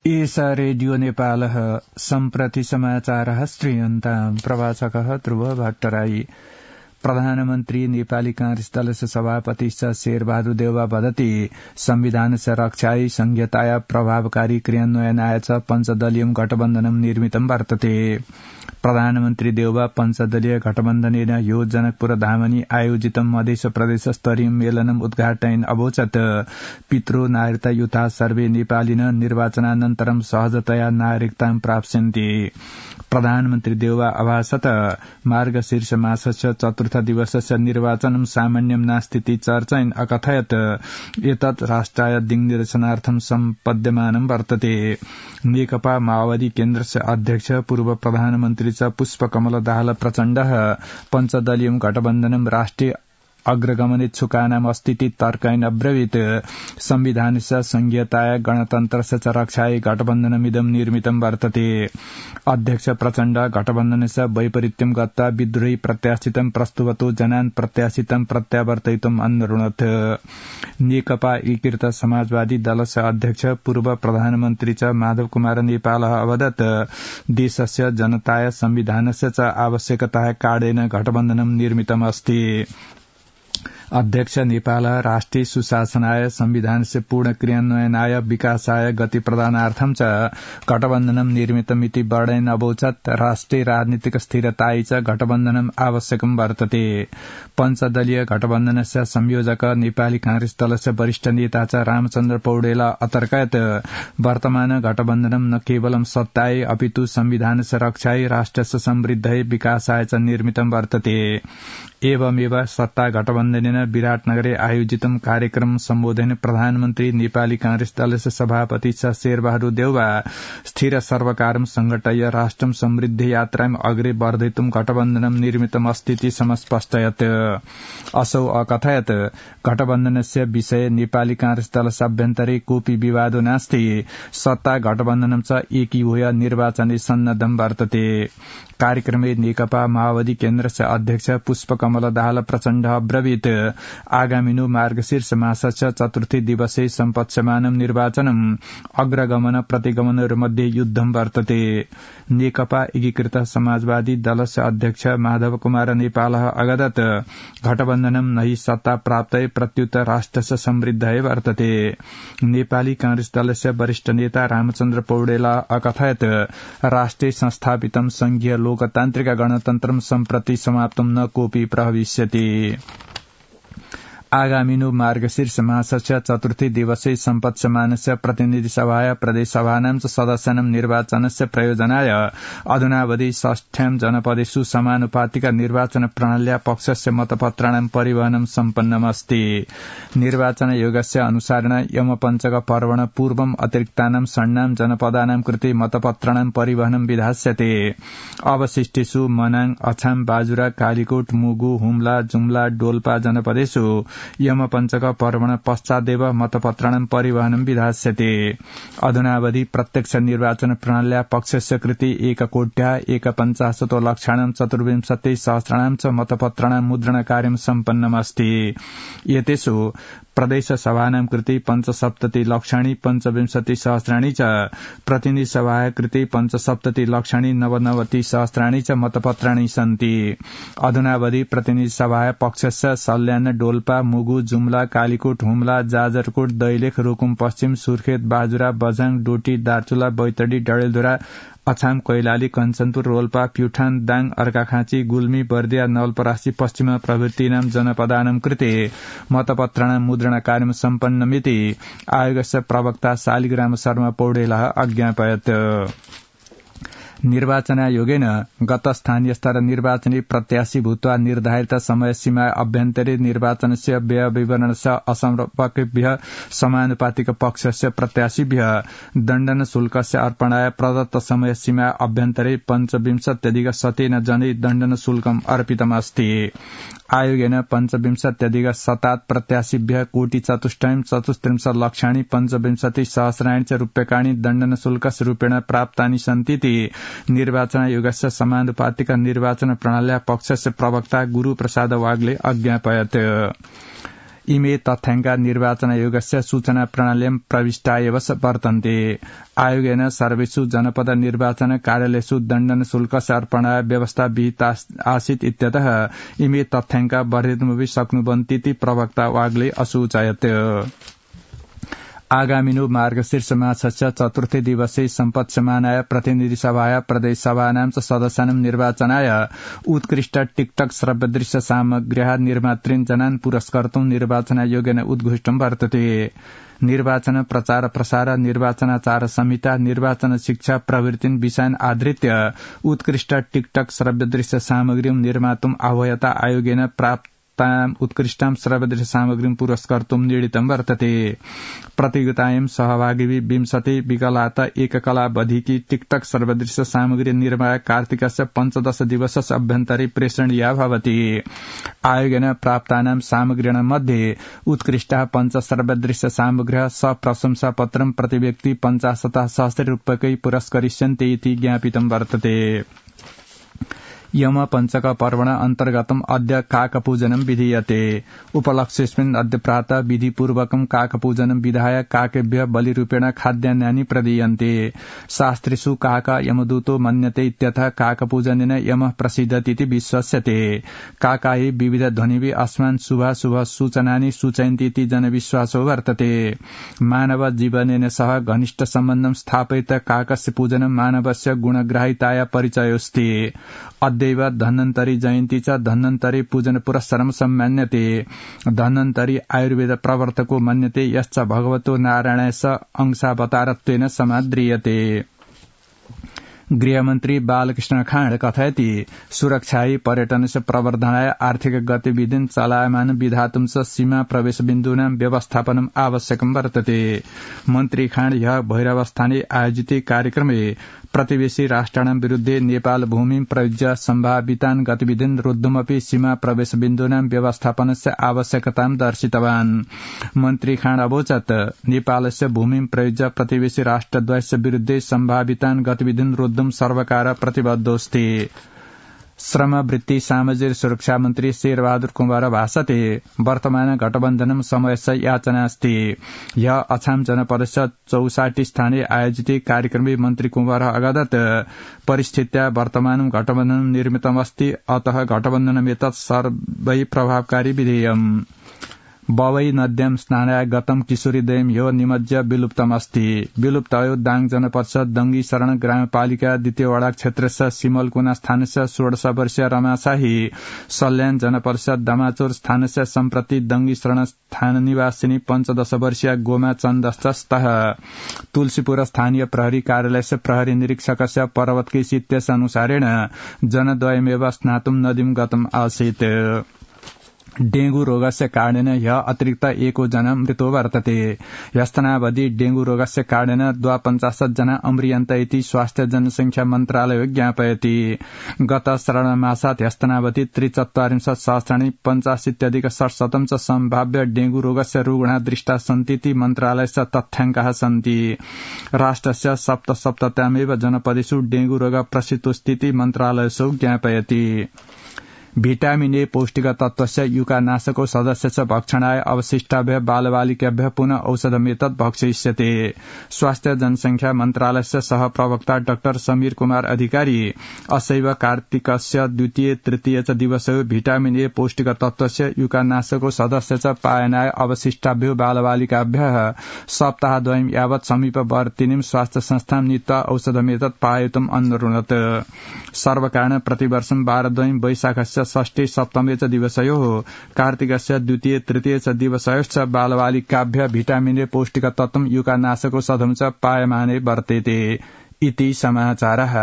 एषा रेडियो नेपालः सम्प्रति समाचारः श्रूयन्ताम् प्रवाचकः ध्रुव भट्टराई। प्रधानमन्त्री नेपाली कांग्रेस दलस्य सभापति शेरबहादुर देउवा वदति संविधानस्य रक्षायै संहिताया प्रभावकारी क्रियान्वयनाय च पञ्चदलीयं गठबन्धनं निर्मितं वर्तते। प्रधानमन्त्री देउवा पञ्चदलीय गठबन्धनेन ह्यो जनकपुर धामनि आयोजितं मधेस प्रदेश स्तरीय मेलनम् उद्घाटयन् अवोचत् पितृ नागरिकता युथा सर्वे नेपालिन निर्वाचनानन्तरं सहजतया नागरिकतां प्राप्स्यन्ति। प्रधानमन्त्री देउवा अभासत मार्गशीर्ष मासस्य चतुर्थ दिवसस्य निर्वाचनं सामान्यं नास्तीति चर्चयन् अकथयत् एतत् राष्ट्राय दिङ्निर्देशनार्थं सम्पद्यमानं वर्तते। नेकपा माओवादी केन्द्रस्य अध्यक्ष पूर्व प्रधानमन्त्री च पुष्पकमल दाहाल प्रचण्डः पञ्चदलीयं गठबन्धनं राष्ट्रिय अग्रगमनेच्छुकानाम् अस्तीति तर्कयन् अब्रवीत् संविधानस्य संहिताय गणतन्त्रस्य च रक्षायै गठबन्धनमिदं निर्मितं वर्तते। अध्यक्ष प्रचण्ड गठबन्धनस्य वैपरीत्यं गत्वा विद्रोही प्रत्याशितं प्रस्तुवतो जनान् प्रत्याशितं प्रत्यावर्तयितुम् अन्वरुणत्। नेकपा एकीकृत समाजवादी दलस्य अध्यक्ष पूर्व प्रधानमन्त्री च माधव कुमार नेपालः अवदत् देशस्य जनताय संविधानस्य च आवश्यकताया कारणेन गठबन्धनं निर्मितमस्ति। अध्यक्ष नेपाल राष्ट्रिय सुशासनाय संविधानस्य पूर्ण क्रियान्वयनाय विकासाय गति प्रदानार्थं च गठबन्धनं निर्मितमिति वर्णयन् अवोचत् राष्ट्रिय राजनीतिक स्थिरतायै च गठबन्धनं आवश्यकं वर्तते। पञ्चदलीय गठबन्धनस्य संयोजक नेपाली कांग्रेस दलस्य वरिष्ठ नेता च रामचन्द्र पौडेला अतर्कयत् वर्तमान गठबन्धनं न केवलं सत्तायै अपितु संविधानस्य रक्षायै राष्ट्रस्य समृद्धयै विकासाय च निर्मितं वर्तते। एवमेव सत्ता गठबन्धनेन विराटनगरे आयोजितं कार्यक्रम सम्बोधन प्रधानमन्त्री नेपाली कांग्रेस दलस्य सभापति शेरबहादुर देउवा स्थिर सर्वकारं संघटय राष्ट्रं समृद्धि यात्रां अग्रे वर्धयितुं गठबन्धनं निर्मितमस्तीति समस्पष्टयत्। असौ अकथयत् गठबन्धनस्य विषये नेपाली कांग्रेस दलस्य अभ्यन्तरे कोऽपि विवादो नास्ति, सत्ता गठबन्धनं च एकीभूय निर्वाचने सन्नद्धं वर्तते। कार्यक्रमे नेकपा माओवादी केन्द्रस्य अध्यक्ष पुष्पकमल दाहाल प्रचण्ड अब्रवीत् आगामिनो मार्गशीर्ष मासस्य चतुर्थी दिवसे सम्पत्स्यमानं निर्वाचनम् अग्रगमन प्रतिगमनहरूमध्ये युद्धं वर्तते। नेकपा एकीकृत समाजवादी दलस्य अध्यक्ष माधव कुमार नेपालः अगदत् गठबन्धनं नहि सत्ता प्राप्तये प्रत्युत राष्ट्रस्य समृद्धये वर्तते। नेपाली कांग्रेस दलस्य वरिष्ठ नेता रामचन्द्र पौडेला अकथयत् राष्ट्रिय संस्थापितं संघीय लोकतान्त्रिक गणतन्त्रं सम्प्रति समाप्तं न कोऽपि प्रभविष्यति। आगामिनो मार्गशीर्ष मासस्य चतुर्थी दिवसे सम्पत्स्यमानस्य प्रतिनिधि सभाय प्रदेशसभानां च सदस्यानां निर्वाचनस्य प्रयोजनाय अधुनावधि 6 जनपदेषु समानुपातिक निर्वाचन प्रणाल्या पक्षस्य मतपत्राणां परिवहनं सम्पन्नमस्ति। निर्वाचन आयोगस्य अनुसारेण यमपञ्चक पर्वण पूर्वम् अतिरिक्तानां षण्णां जनपदानां कृते मतपत्राणां परिवहनं विधास्यते। अवशिष्टेषु मनाङ, अछाम, बाजुरा, कालीकोट, मुगु, हुम्ला, जुम्ला, डोल्पा जनपदेषु यमपञ्चक पर्वण पश्चादेव मतपत्राणां परिवहनं विधास्यते। अधुनावधि प्रत्यक्ष निर्वाचन प्रणाल्या पक्षस्य कृते 1,51,50,00,000 चतुर्विंशतिसहस्राणां च मतपत्राणां मुद्रणकार्यं सम्पन्नमस्ति। एतेषु प्रदेशसभानां कृते 75,25,सहस्राणि च, प्रतिनिधि सभाय कृते 75,99,000 च मतपत्राणि सन्ति। अधुनावधि प्रतिनिधि सभाय पक्षस्य सल्यान, डोल्पा, मुगु, जुम्ला, कालीकोट, हुम्ला, जाजरकोट, दैलेख, रुकुम पश्चिम, सुर्खेत, बाजुरा, बझाङ, डोटी, दार्चुला, बैतडी, डडेलधुरा, अछाम, कैलाली, कञ्चनपुर, रोल्पा, प्युठान, दाङ, अर्काखाँची, गुल्मी, बर्दिया, नवलपरासी, पश्चिम प्रभृतीनां जनपदानां कृते मतपत्राणां मुद्रणकार्यं सम्पन्नमिति आयोगस्य प्रवक्ता शालिग्राम शर्मा पौडेलः अज्ञापयत्। निर्वाचन आयोगेन गत स्थानीय स्तर निर्वाचने प्रत्याशी भूत्वा निर्धारित समयसीमा अभ्यन्तरे निर्वाचनस्य व्यय विवरणस्य असमर्पकेभ्यः समानुपातिक पक्षस्य प्रत्याशीभ्यः दण्डन शुल्कस्य अर्पणाय प्रदत्त समयसीमा अभ्यन्तरे 25,000 जनै दण्डन शुल्कम् अर्पितमस्ति। आयोगेन 25,000 प्रत्याशीभ्यः 1,34,34,00,000 पंचविंशतिसहस्राणि च रूप्यकाणि दण्डन शुल्कस्य रूपेण प्राप्तानि सन्तीति निर्वाचन आयोगस्य समानुपातिक निर्वाचन प्रणाल्या पक्षस्य प्रवक्ता गुरूप्रसाद वाग्ले अज्ञापयत्। इमे तथ्याङ्का निर्वाचन आयोगस्य सूचना प्रणालीं प्रविष्टा एव वर्तन्ते। आयोगेन सर्वेषु जनपद निर्वाचन कार्यालयेषु दण्डन शुल्कस्य अर्पणाय व्यवस्था विहिता आसीत् इत्यतः इमे तथ्याङ्का वर्धितुमपि शक्नुवन्तीति प्रवक्ता वाग्ले असूचयत्। आगामिनो मार्गशीर्ष मासस्य चतुर्थे दिवसे सम्पत्समानाय प्रतिनिधि सभाया प्रदेश सभानां च सदस्यानां निर्वाचनाय उत्कृष्ट टिकटक श्रव्यदृश्य सामग्र्याः निर्मातॄन् जनान् पुरस्कर्तुं निर्वाचन आयोगेन उद्घोषितं वर्तते। निर्वाचन प्रचार प्रसार, निर्वाचनाचार संहिता, निर्वाचन शिक्षा प्रभृतीन् विषयान् आधृत्य उत्कृष्ट टिकटक श्रव्यदृश्य सामग्रीं निर्मातुम् आह्वयता आयोगेन प्राप्त उत्कृष्टां श्रव्यदृश्य सामग्रीं पुरस्कर्तुं निर्णीतं वर्तते। प्रतियोगितायां सहभागी 20 विकलात एककलावधिकी टिकटक श्रव्यदृश्य सामग्री निर्माय कार्तिकस्य 15 दिवसस्य अभ्यन्तरे प्रेषणीया भवति। आयोगेन प्राप्तानां सामग्रीणां मध्ये उत्कृष्टाः 5 श्रव्यदृश्य सामग्र्यः सप्रशंसापत्रं प्रतिव्यक्ति 50,000 रूप्यकै पुरस्करिष्यन्ते इति ज्ञापितं वर्तते। यम पंचक पर्वण अन्तर्गतम् अद्य काकपूजनं विधीयते। उपलक्ष्येऽस्मिन् अद्य प्रातः विधिपूर्वकं काकपूजनं विधाय काकेभ्यः बलिरूपेण खाद्यान्नानि प्रदीयन्ते। शास्त्रेषु काक यमदूतो मन्यते इत्यतः काकपूजनेन यमः प्रसीदतीति विश्वस्यते। काकायै विविध ध्वनिभिः अस्मान् शुभाशुभ सूचनानि सूचयन्ति इति जनविश्वासो वर्तते। मानव जीवनेन सह घनिष्ठ सम्बन्धं स्थापयित काकस्य पूजनं मानवस्य गुणग्राहिताय परिचयोऽस्ति। अद्यैव धन्वन्तरी जयन्ती च धन्वन्तरी पूजन पुरस्सरं सम्मान्यते। धन्वन्तरी आयुर्वेद प्रवर्तको मन्यते यश्च भगवतो नारायणस्य अंशावतारत्वेन समाद्रियते। गृहमन्त्री बालकृष्ण खाँड कथयति सुरक्षायै पर्यटनस्य प्रवर्धनाय आर्थिक गतिविधिं चलायमान विधातुं च सीमा प्रवेश बिन्दूनां व्यवस्थापनम् आवश्यकं वर्तते। मन्त्री खाँड ह्यः भैरवस्थाने आयोजिते कार्यक्रमे प्रतिवेशी राष्ट्राणां विरुद्धे नेपाल भूमिं प्रयुज्य सम्भावितान् गतिविधिन् रोद्धुमपि सीमा प्रवेश बिन्दूनां व्यवस्थापनस्य आवश्यकतां दर्शितवान्। मन्त्री खाँड अवोचत् नेपालस्य भूमिं प्रयुज्य प्रतिवेशी राष्ट्रद्वयस्य विरुद्धे सम्भावितान् गतिविधिन् रोद्धुं सर्वकार प्रतिबद्धोऽस्ति। श्रम वृत्ति सामाजिक सुरक्षा मन्त्री शेरबहादुर कुँवर भाषते वर्तमान गठबन्धनं समयस्य याचनास्ति। यह अछाम जनपदस्य 64 स्थाने आयोजिते कार्यक्रमे मन्त्री कुँवर अगादत परिस्थित्या वर्तमानं गठबन्धनं निर्मितमस्ति, अतः गठबन्धनमेतत् सर्वै प्रभावकारी विधेयम्। बवै नद्यां स्नानाय गतं किशोरीद्वयं ह्यो निमज्य विलुप्तमस्ति। विलुप्तयो दाङ जनपदस्य दङ्गी शरण ग्रामपालिका 2 वडा क्षेत्रस्य सिमलकुना स्थानस्य 16 वर्षीय रमा शाही, सल्यान जनपदस्य दमाचोर स्थानस्य सम्प्रति दङ्गी शरण स्थान निवासिनी 15 वर्षीय गोमा चन्दस्तः, तुलसीपुर स्थानीय प्रहरी कार्यालयस्य प्रहरी निरीक्षकस्य पर्वतकेशी इत्यनुसारेण जनद्वयमेव स्नातुं नदीं गतम् आसीत्। डेंगू रोगस्य कारणेन ह्यः अतिरिक्त 1 जना मृतो वर्तते। ह्यस्तनावधि डेंगू रोगस्य कारणेन 52 जना अम्रियन्त इति स्वास्थ्य जनसंख्या मन्त्रालयो ज्ञापयति। गत श्रावणमासात् ह्यस्तनावधि 43,000 85,600 च सम्भाव्य डेंगू रोगस्य रुग्णाः दृष्टा सन्ति इति मन्त्रालयस्य तथ्याङ्काः सन्ति। राष्ट्रस्य 77 जनपदेषु डेंगू रोग प्रसिद्धोऽस्ति इति मन्त्रालयसो ज्ञापयति। भिटामिन ए पौष्टिक तत्वस्य युकानाशको सदस्यस्य भक्षणाय अवशिष्टाभ्यः बालबालिकाभ्यः पुनः औषधमेतत् भक्षयिष्यते। स्वास्थ्य जनसंख्या मन्त्रालयस्य सह प्रवक्ता डाक्टर समीर कुमार अधिकारी असैव कार्तिकस्य 2, 3 च दिवसयो भिटामिन ए पौष्टिक तत्वस्य युकानाशको सदस्यस्य पायनाय अवशिष्टाभ्यो बालबालिकाभ्यः सप्ताहद्वयं यावत् समीपवर्तिनीं स्वास्थ्य संस्थां नीत्वा औषधमेतत् पायितुम् अनुरुणत्। सर्वकारण प्रतिवर्षं वारद्वयं वैशाखस्य 6, 7 च दिवसयोः कार्तिकस्य 2, 3 च दिवसयोश्च बालबालिकाभ्यः भिटामिन ए पौष्टिक तत्वं युकानाशको सधं च पायमाने वर्तेते इति समाचारः।